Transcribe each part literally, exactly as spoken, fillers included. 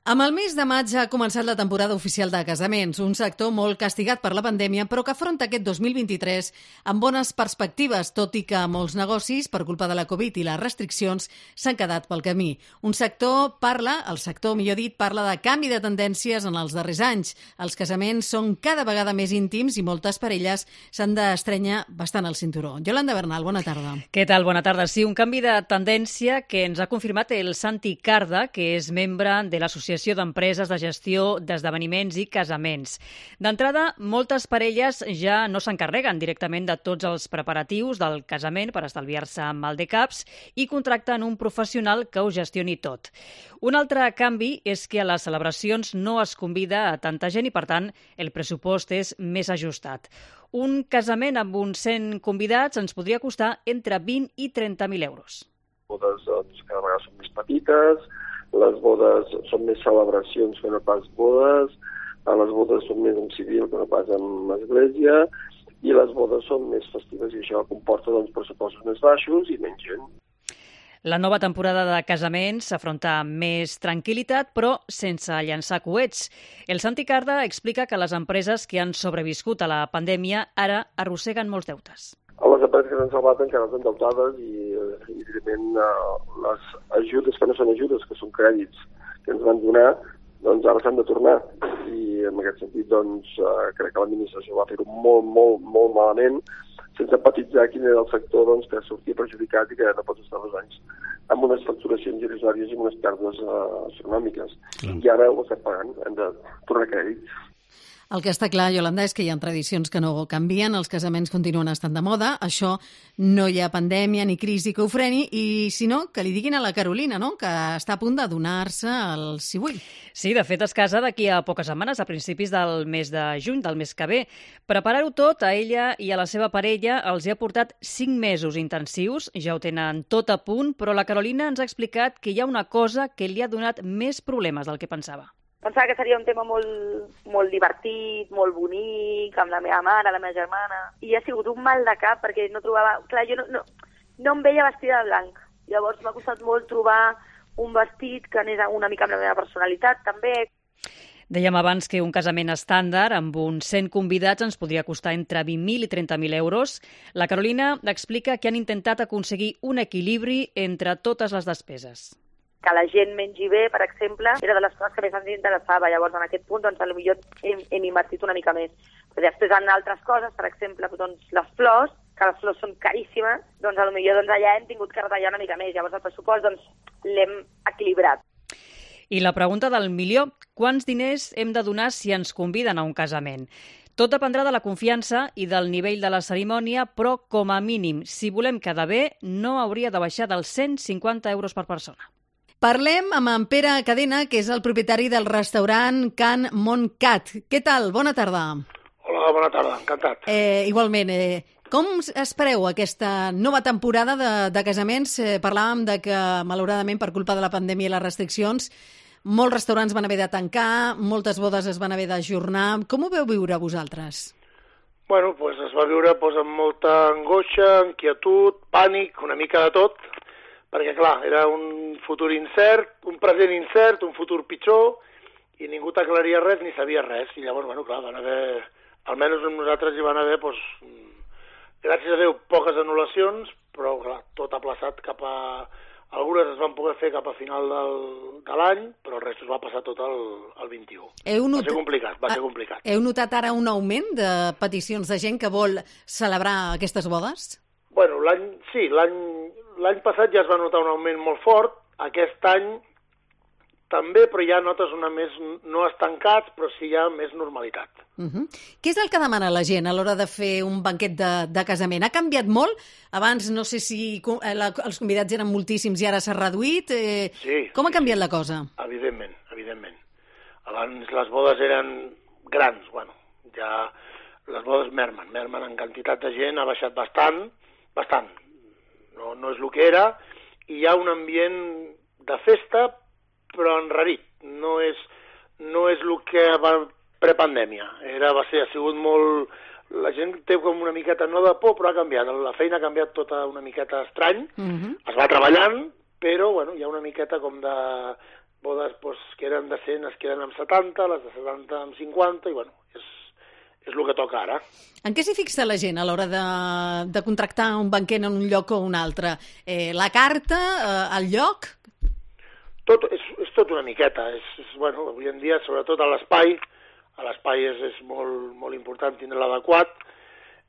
Amb el mes de maig ha començat la temporada oficial de casaments, un sector molt castigat per la pandèmia, però que afronta aquest dos mil vint-i-tres amb bones perspectives, tot i que molts negocis, per culpa de la Covid i les restriccions, s'han quedat pel camí. Un sector parla, el sector, millor dit, parla de canvi de tendències en els darrers anys. Els casaments són cada vegada més íntims i moltes parelles s'han d'estrenyar bastant el cinturó. Yolanda Bernal, bona tarda. Què tal? Bona tarda. Sí, un canvi de tendència que ens ha confirmat el Santi Carda, que és membre de l'Associació d'Empreses de Gestió d'Esdeveniments i Casaments. D'entrada, moltes parelles ja no s'encarreguen directament de tots els preparatius del casament per estalviar-se maldecaps i contracten un professional que ho gestioni tot. Un altre canvi és que a les celebracions no es convida a tanta gent i, per tant, el pressupost és més ajustat. Un casament amb uns cent convidats ens podria costar entre vint i trenta mil euros. Bodes, doncs, cada vegada són més petites, les bodes són més celebracions que no pas bodes, les bodes són més en civil que no pas en església, i les bodes són més festives i això comporta doncs, pressupostos més baixos i menys gent. La nova temporada de casaments s'afronta amb més tranquil·litat, però sense llançar coets. El Santi Carda explica que les empreses que han sobreviscut a la pandèmia ara arrosseguen molts deutes. Les empreses que s'han salvat encara estan endeutades i, evidentment, les ajudes que no són ajudes, que són crèdits que ens van donar, doncs ara s'han de tornar. I en aquest sentit, doncs, crec que l'administració va fer-ho molt, molt, molt malament, sense empatitzar quin era el sector doncs, que sortia perjudicat i que no pots estar dos anys amb unes facturacions irrisòries i amb unes pèrdues uh, astronòmiques. Mm. I ara ho estem pagant, hem de tornar crèdits. El que està clar, Yolanda, és que hi ha tradicions que no canvien, els casaments continuen estant de moda, això no hi ha pandèmia ni crisi que ho freni, i si no, que li diguin a la Carolina, no?, que està a punt de donar-se el si vull. Sí, de fet es casa d'aquí a poques setmanes, a principis del mes de juny, del mes que ve. Preparar-ho tot a ella i a la seva parella els hi ha portat cinc mesos intensius, ja ho tenen tot a punt, però la Carolina ens ha explicat que hi ha una cosa que li ha donat més problemes del que pensava. Pensava que seria un tema molt, molt divertit, molt bonic, amb la meva mare, la meva germana, i ha sigut un mal de cap perquè no trobava... Clar, jo no, no, no em veia vestida de blanc. Llavors m'ha costat molt trobar un vestit que anés una mica amb la meva personalitat, també. Dèiem abans que un casament estàndard amb uns cent convidats ens podria costar entre vint mil i trenta mil euros. La Carolina explica que han intentat aconseguir un equilibri entre totes les despeses. Que la gent mengi bé, per exemple, era de les coses que més ens interessava. Llavors, en aquest punt, doncs, potser hem, hem invertit una mica més. Però després, en altres coses, per exemple, doncs, les flors, que les flors són caríssimes, doncs, potser doncs, allà hem tingut que retallar una mica més. Llavors, el pressupost doncs, l'hem equilibrat. I la pregunta del milió, quants diners hem de donar si ens conviden a un casament? Tot dependrà de la confiança i del nivell de la cerimònia, però, com a mínim, si volem quedar bé, no hauria de baixar dels cent cinquanta euros per persona. Parlem amb en Pere Cadena, que és el propietari del restaurant Can Montcat. Què tal? Bona tarda. Hola, bona tarda, encantat. Eh, igualment, eh, com espereu aquesta nova temporada de, de casaments? Eh, parlàvem de que, malauradament, per culpa de la pandèmia i les restriccions, molts restaurants van haver de tancar, moltes bodes es van haver d'ajornar. Com ho veu viure vosaltres? Bueno, pues es va viure pues, amb molta angoixa, inquietud, pànic, una mica de tot, perquè, clar, era un futur incert, un present incert, un futur pitjor, i ningú t'aclaria res ni sabia res. I llavors, bueno, clar, van haver, almenys nosaltres hi van haver, doncs, gràcies a Déu, poques anul·lacions, però, clar, tot aplaçat cap a... Algunes es van poder fer cap a final del, de l'any, però el rest es va passar tot al, al vint-i-u. Heu not... Va ser complicat, va ser complicat. Heu notat ara un augment de peticions de gent que vol celebrar aquestes bodes? Bueno, l'any, sí, l'any... L'any passat ja es va notar un augment molt fort, aquest any també, però ja notes una més, no estancats, però sí hi ha més normalitat. Uh-huh. Què és el que demana la gent a l'hora de fer un banquet de, de casament? Ha canviat molt? Abans no sé si la, els convidats eren moltíssims i ara s'ha reduït. Eh, sí. Com ha canviat sí. la cosa? Evidentment, evidentment. Abans les bodes eren grans, bueno, ja les bodes mermen, mermen en quantitat de gent, ha baixat bastant, bastant. No, no és el que era, i hi ha un ambient de festa, però enrarit. No és, no és el que va prepandèmia. Era, va ser, ha sigut molt... La gent té com una miqueta, no de por, però ha canviat. La feina ha canviat tota una miqueta estrany. Uh-huh. Es va treballant, però bueno, hi ha una miqueta com de, bodes pues, que eren de cent es queden amb setanta, les de setanta amb cinquanta, i bueno, és, és el que toca ara. En què s'hi fixa la gent a l'hora de, de contractar un banquer en un lloc o un altre? Eh, la carta, eh, el lloc? Tot, és, és tot una miqueta. És, és, bueno, avui en dia, sobretot a l'espai, a l'espai és, és molt, molt important tindre l'adequat.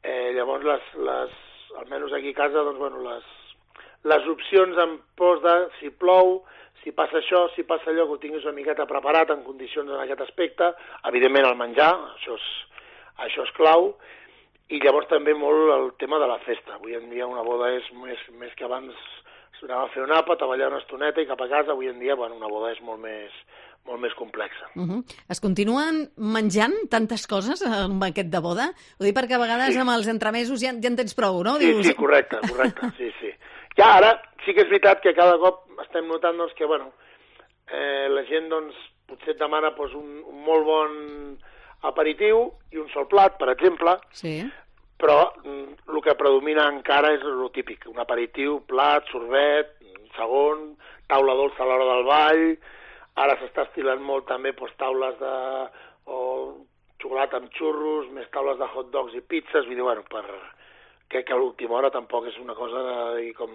Eh, llavors, les, les, almenys aquí a casa, doncs, bueno, les, les opcions en pos de si plou, si passa això, si passa allò, que ho tinguis una miqueta preparat en condicions en aquest aspecte. Evidentment, el menjar, això és, això és clau. I llavors també molt el tema de la festa. Avui en dia una boda és més, més que abans s'anava a fer un àpat, a ballar una estoneta i cap a casa. Avui en dia, bueno, una boda és molt més, molt més complexa. Uh -huh. Es continuen menjant tantes coses en un banquet de boda? Ho dic perquè a vegades sí. amb els entremesos ja, ja en tens prou, no? Sí, Dius... sí, correcte, correcte, sí, sí. Ja ara sí que és veritat que cada cop estem notant doncs, que bueno, eh, la gent doncs, potser et demana doncs, un, un molt bon aperitiu i un sol plat, per exemple, sí. però el que predomina encara és el típic, un aperitiu, plat, sorbet, segon, taula dolça a l'hora del ball, ara s'està estilant molt també doncs, taules de o xocolata amb xurros, més taules de hot dogs i pizzas, vull dir, bueno, per... crec que a l'última hora tampoc és una cosa de dir com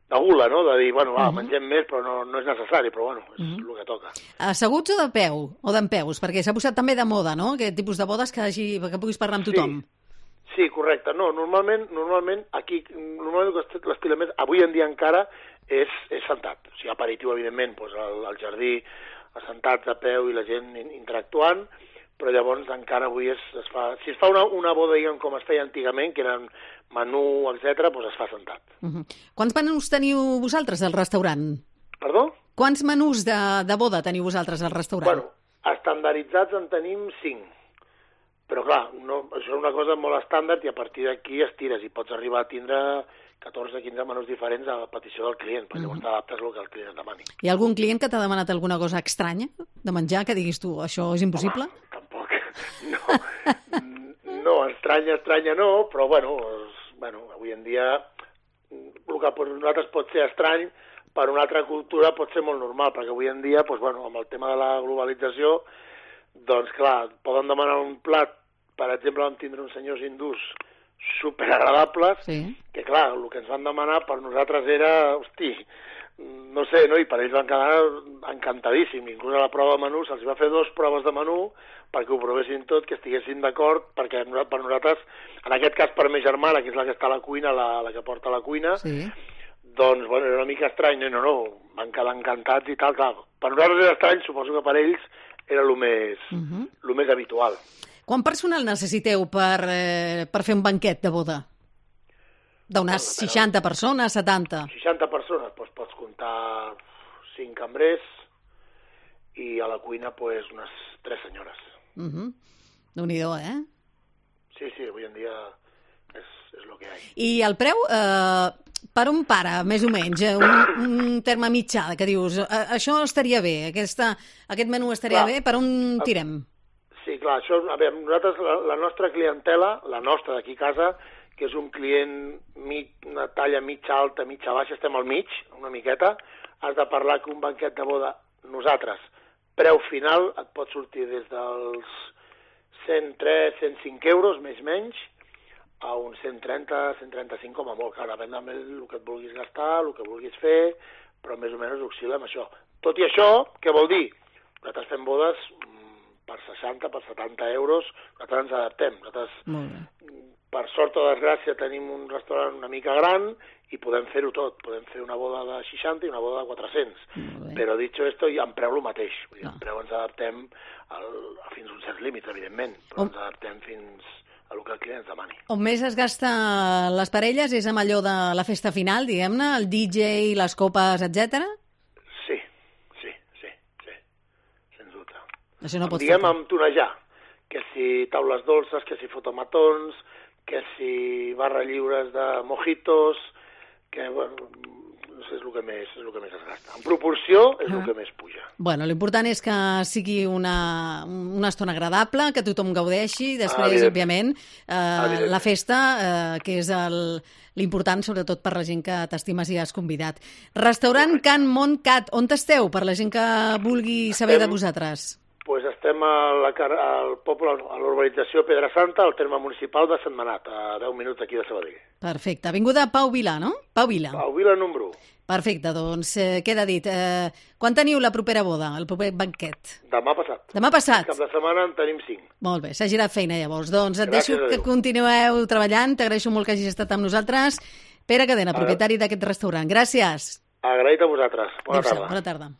de gula, no? De dir, bueno, va, uh -huh. mengem més, però no, no és necessari, però bueno, és uh -huh. el que toca. Asseguts o de peu, o d'empeus? Perquè s'ha posat també de moda, no? Aquest tipus de bodes que, hagi, que puguis parlar amb tothom. Sí, sí, correcte. No, normalment, normalment aquí, normalment l'estilament, avui en dia encara, és, és sentat. O sigui, aperitiu, evidentment, doncs al, al jardí, assentats a peu i la gent interactuant, però llavors encara avui es, es fa... Si es fa una, una boda, diguem, com es feia antigament, que eren menú, etcètera, doncs es fa sentat. Uh -huh. Quants menús teniu vosaltres al restaurant? Perdó? Quants menús de, de boda teniu vosaltres al restaurant? Bueno, estandarditzats en tenim cinc. Però clar, no, això és una cosa molt estàndard i a partir d'aquí estires i pots arribar a tindre catorze quinze menús diferents a la petició del client, perquè llavors uh -huh. t'adaptes al que el client demani. Hi ha algun client que t'ha demanat alguna cosa estranya de menjar, que diguis tu, això és impossible? Home, tampoc. No, no, estranya, estranya no, però bueno, és, bueno, avui en dia el que per nosaltres pot ser estrany, per una altra cultura pot ser molt normal, perquè avui en dia, doncs, bueno, amb el tema de la globalització, doncs clar, poden demanar un plat, per exemple, vam tindre uns senyors hindús superagradables, sí. que clar, el que ens van demanar per nosaltres era, hosti, no sé, no? I per ells van quedar encantadíssims. Inclús a la prova de menú se'ls va fer dues proves de menú perquè ho provessin tot, que estiguessin d'acord, perquè per nosaltres, en aquest cas per ma germana, que és la que està a la cuina, la, la que porta a la cuina, sí. doncs, bueno, era una mica estrany, no, no, no, van quedar encantats i tal, clar. Per nosaltres era estrany, suposo que per ells era el més, uh -huh. el més habitual. Quant personal necessiteu per, eh, per fer un banquet de boda? D'unes seixanta persones, setanta? seixanta persones, doncs pots comptar cinc cambrers i a la cuina pues, unes tres senyores. Uh -huh. Déu-n'hi-do, eh? Sí, sí, avui en dia és, és el que hi ha. I el preu, eh, per un pare, més o menys, eh, un, un terme mitjà, que dius, eh, això estaria bé, aquesta, aquest menú estaria clar, bé, per on tirem? Sí, clar, això, a veure, nosaltres, la, la nostra clientela, la nostra d'aquí a casa, que és un client mig, una talla mitja alta, mitja baixa, estem al mig, una miqueta, has de parlar que un banquet de boda, nosaltres, preu final, et pot sortir des dels cent tres, cent cinc euros, més o menys, a uns cent trenta, cent trenta-cinc com a molt, clar, depèn del que et vulguis gastar, el que vulguis fer, però més o menys oscil·la amb això. Tot i això, què vol dir? Nosaltres fem bodes per seixanta, per setanta euros, nosaltres ens adaptem. Nosaltres, per sort o desgràcia, tenim un restaurant una mica gran i podem fer-ho tot. Podem fer una boda de seixanta i una boda de quatre-cents. Però, dit esto, i en preu el mateix. Vull dir, en preu ens adaptem al, fins a uns certs límits, evidentment, però oh. ens adaptem fins a el que el client ens demani. On més es gasta les parelles és amb allò de la festa final, diguem-ne, el D J, les copes, etcètera? Sí, sí, sí, sí, sens dubte. Això no pot diguem faltar. Amb tonejar, que si taules dolces, que si fotomatons, que si barra lliures de mojitos, que, bueno, doncs és el que més, és el que més es gasta. En proporció és el Ah. que més puja. Bueno, l'important és que sigui una, una estona agradable, que tothom gaudeixi, després, Evidentment. òbviament, eh, Evidentment. la festa, eh, que és el, l'important, sobretot per la gent que t'estimes i has convidat. Restaurant Can Montcat, on esteu, per la gent que vulgui saber Estem- de vosaltres? Pues estem a la, car- al poble, a l'urbanització Pedra Santa, al terme municipal de Sentmenat, a deu minuts d'aquí de Sabadell. Perfecte. Avinguda Pau Vilà, no? Pau Vila. Pau Vila, número u. Perfecte, doncs eh, queda dit. Eh, quan teniu la propera boda, el proper banquet? Demà passat. Demà passat? Cap de setmana en tenim cinc. Molt bé, s'ha girat feina llavors. Doncs et Gràcies deixo a que Déu. continueu treballant. T'agraeixo molt que hagis estat amb nosaltres. Pere Cadena, Ara. propietari d'aquest restaurant. Gràcies. Agraït a vosaltres. Bona Adéu-siau, tarda. bona tarda.